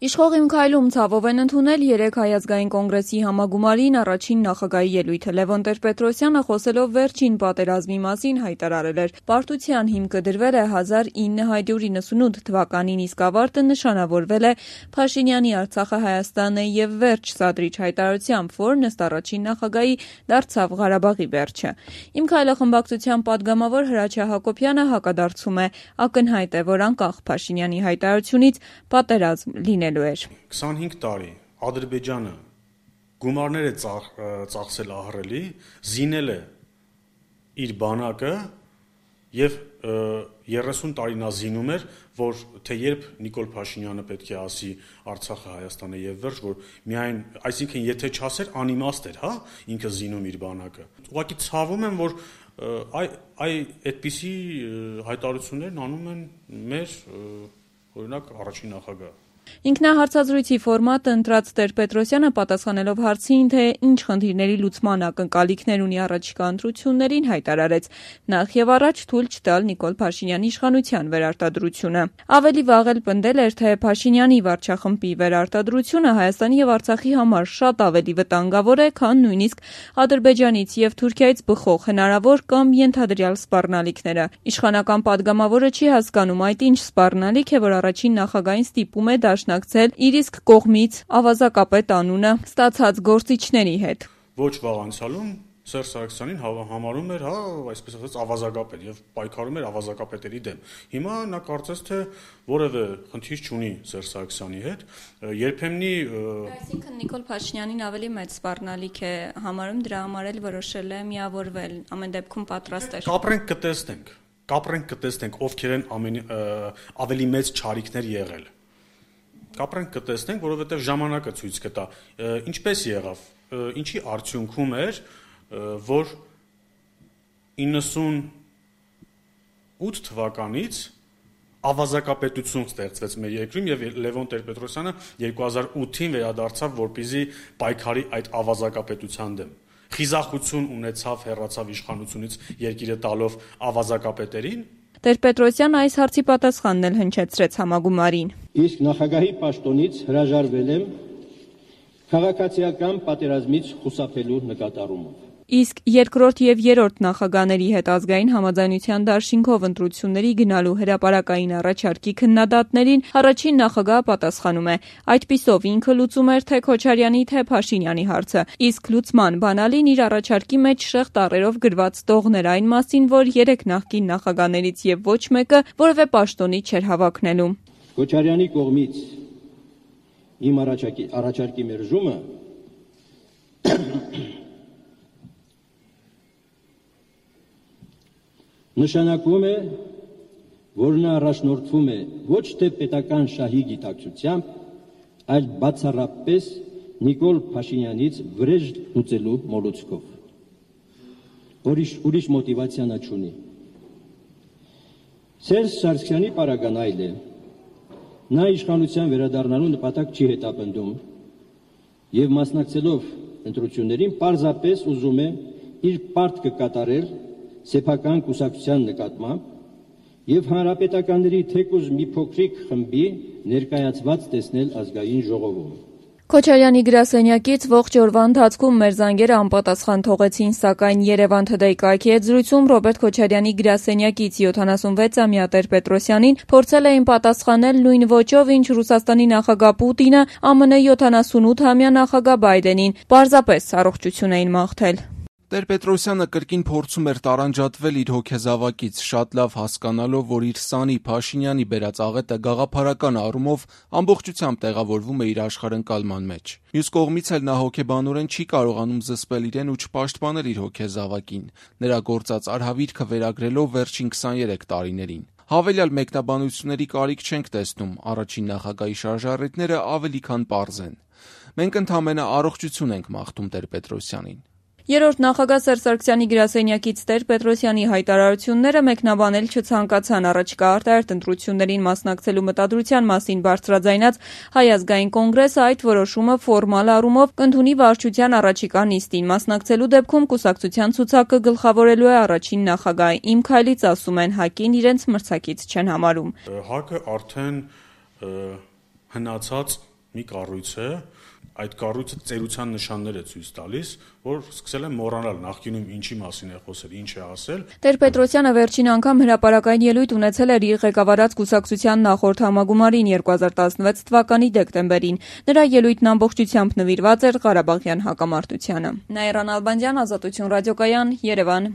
Իշխող իմ քայլում ցավով են ընդունել 3 Հայ ազգային կոնգրեսի համագումարին առաջին նախագահի ելույթը։ Լևոն Տեր-Պետրոսյանը խոսելով վերջին պատերազմի մասին հայտարարել էր. «Պարտության հիմքը դրվել է 1998 թվականին, իսկ ավարտը նշանավորվել է Փաշինյանի Արցախը Հայաստան է եւ վերջ սադրիչ հայտարարությամբ, որն ըստ առաջին նախագահի դարձավ Ղարաբաղի վերջը»։ Իմ քայլը խմբակցության պատգամավոր Հրաչյա Հակոբյանը հակադարձում է. ակնհայտ է, որ անկախ Փաշինյանի հայտարարությունից պատերազմ լինելու 25 տարի Ադրբեջանը գումարներ է ծախսել ահռելի, զինել է իր բանակը եւ 30 տարի նա զինում էր, որ թե երբ Նիկոլ Փաշինյանը պետք է ասի Արցախը Հայաստան է եւ վերջ, որ միայն, այսինքն եթե չասեր, անիմաստ էր, ինքը զինում իր բանակը։ Ուղղակի ցավում եմ, որ այդպիսի հայտարարություններն անում են մեր օրինակ առաջին նախագահը։ Ինքնահարցազրույցի ֆորմատը ընտրած Տեր-Պետրոսյանը պատասխանելով հարցին, թե ինչ խնդիրների լուծման ակնկալիքներ ունի առաջիկա ընտրություններին, հայտարարեց. նախ եւ առաջ թույլ չտալ Նիկոլ Փաշինյանի իշխանության վերարտադրությունը։ Ավելի վաղ էլ պնդել էր, թե Փաշինյանի վարչախմբի վերարտադրությունը Հայաստանի եւ Արցախի համար շատ ավելի վտանգավոր է, քան նույնիսկ Ադրբեջանից եւ Թուրքիայից բխող հնարավոր կամ ենթադրյալ սպառնալիքները։ Իշխանական պատգամավորը չի հասկանում, այդ ինչ սպառնալիք է, որ առաջին նախագահին ստիպում է դաշնակցել իր իսկ կողմից ավազակապետ անունը ստացած գործիչների հետ։ Ոչ վաղ անցյալում Սերժ Սարգսյանին համարում էր, այսպես ասած, ավազակապետ եւ պայքարում էր ավազակապետերի դեմ։ Հիմա նա կարծես թե որևէ խնդիր չունի Սերժ Սարգսյանի հետ, երբեմնի Այսինքն Նիկոլ Փաշինյանին ավելի մեծ սպառնալիք է համարում, դրա համար էլ որոշել է միավորվել, ամեն դեպքում պատրաստ է։ Կապրենք կտեսնենք, ովքեր են ավելի մեծ չարիքներ եղել։ Կապրենք կտեսնենք, որովհետև ժամանակը ցույց կտա, ինչպես եղավ, ինչի արդյունքում էր, որ 98 թվականից ավազակապետություն ստեղծվեց մեր երկրում եւ Լևոն Տեր-Պետրոսյանը 2008-ին վերադարձավ, որպեսզի պայքարի այդ ավազակապետության դեմ։ Խիզախություն ունեցավ, հեռացավ իշխանությունից երկիրը տալով ավազակապետերին։ Տեր-Պետրոսյանը այս հարցի պատասխանն էլ հնչեցրեց համագումարին։ Իսկ նախագահի պաշտոնից հրաժարվել եմ քաղաքացիական պատերազմից խուսափելու նկատառումով։ Իսկ երկրորդ եւ երրորդ նախագահների հետ ազգային համաձայնության դաշինքով ընտրությունների գնալու հրապարակային առաջարկի քննադատներին առաջին նախագահը պատասխանում է. այդպիսով ինքը լուծում էր թե Քոչարյանի, թե Փաշինյանի հարցը, իսկ լուծման բանալին իր առաջարկի մեջ շեղ տառերով գրված տողներ այն մասին, որ 3 նախկին նախագահներից եւ ոչ մեկը որևէ պաշտոնի չէր հավակնելու։ Քոչարյանի կողմից իմ առաջարկի մերժումը նշանակում է, որ նա առաջնորդվում է ոչ թե պետական շահի գիտակցությամբ, այլ բացառապես Նիկոլ Փաշինյանից վրեժ լուծելու մոլուցքով։ Ուրիշ մոտիվացիա նա չունի։ Սերժ Սարգսյանի պարագան այլ է։ Նա իշխանության վերադառնալու նպատակ չի հետապնդում եւ մասնակցելով ընտրություններին պարզապես ուզում է իր պարտքը կատարել սեփական կուսակցության նկատմամբ եւ հանրապետականների թեկուզ մի փոքրիկ խմբի ներկայացված տեսնել ազգային ժողովում։ Քոչարյանի գրասենյակից ողջ օրվա ընթացքում մեր զանգերը անպատասխան թողեցին, սակայն Երևան Today կայքի հետ զրույցում Ռոբերտ Քոչարյանի գրասենյակից 76-ամյա Տեր-Պետրոսյանին փորձել էին պատասխանել նույն ոճով, ինչ Ռուսաստանի նախագահ Պուտինը ԱՄՆ 78-ամյա նախագահ Բայդենին, պարզապես առողջություն էին մաղթել։ Տեր-Պետրոսյանը կրկին փորձում էր տարանջատվել իր հոգեզավակից, շատ լավ հասկանալով, որ իր սանի Փաշինյանի բերած աղետը գաղափարական առումով ամբողջությամբ տեղավորվում է իր աշխարհընկալման մեջ։ Մյուս կողմից էլ նա հոգեբանորեն չի կարողանում զսպել իրեն ու չպաշտպանել իր հոգեզավակին, նրա գործած արհավիրքը վերագրելով վերջին 23 տարիներին։ Հավելյալ մեկնաբանությունների կարիք չենք տեսնում, առաջին նախագահի շարժառիթները ավելի քան պարզ են։ Մենք ընդամենը առողջություն ենք մաղթում Տեր-Պետրոսյանին։ Երրորդ նախագահ Սերժ Սարգսյանի գրասենյակից Տեր-Պետրոսյանի հայտարարությունները մեկնաբանել չցանկացան, առաջիկա արտահերթ ընտրություններին մասնակցելու մտադրության մասին բարձրաձայնած Հայ ազգային կոնգրեսը այդ որոշումը ֆորմալ առումով կընդունի վարչության առաջիկա նիստին։ Մասնակցելու դեպքում կուսակցության ցուցակը գլխավորելու է առաջին նախագահը։ Իմ քայլից ասում են, ՀԱԿ-ին իրենց մրցակից չեն համարում։ ՀԱԿ-ը արդեն հնացած մի կառույց է, այդ կառույցը ծերության նշաններ է ցույց տալիս, որ սկսել են մոռանալ նախկինում ինչի մասին է խոսել, ինչ է ասել։ Տեր-Պետրոսյանը վերջին անգամ հրապարակային ելույթ ունեցել էր իր ղեկավարած կուսակցության նախորդ համագումարին 2016 թվականի դեկտեմբերին։ Նրա ելույթն ամբողջությամբ նվիրված էր Ղարաբաղյան հակամարտությանը։ Նաիրա Նալբանդյան, Ազատություն ռադիոկայան, Երևան։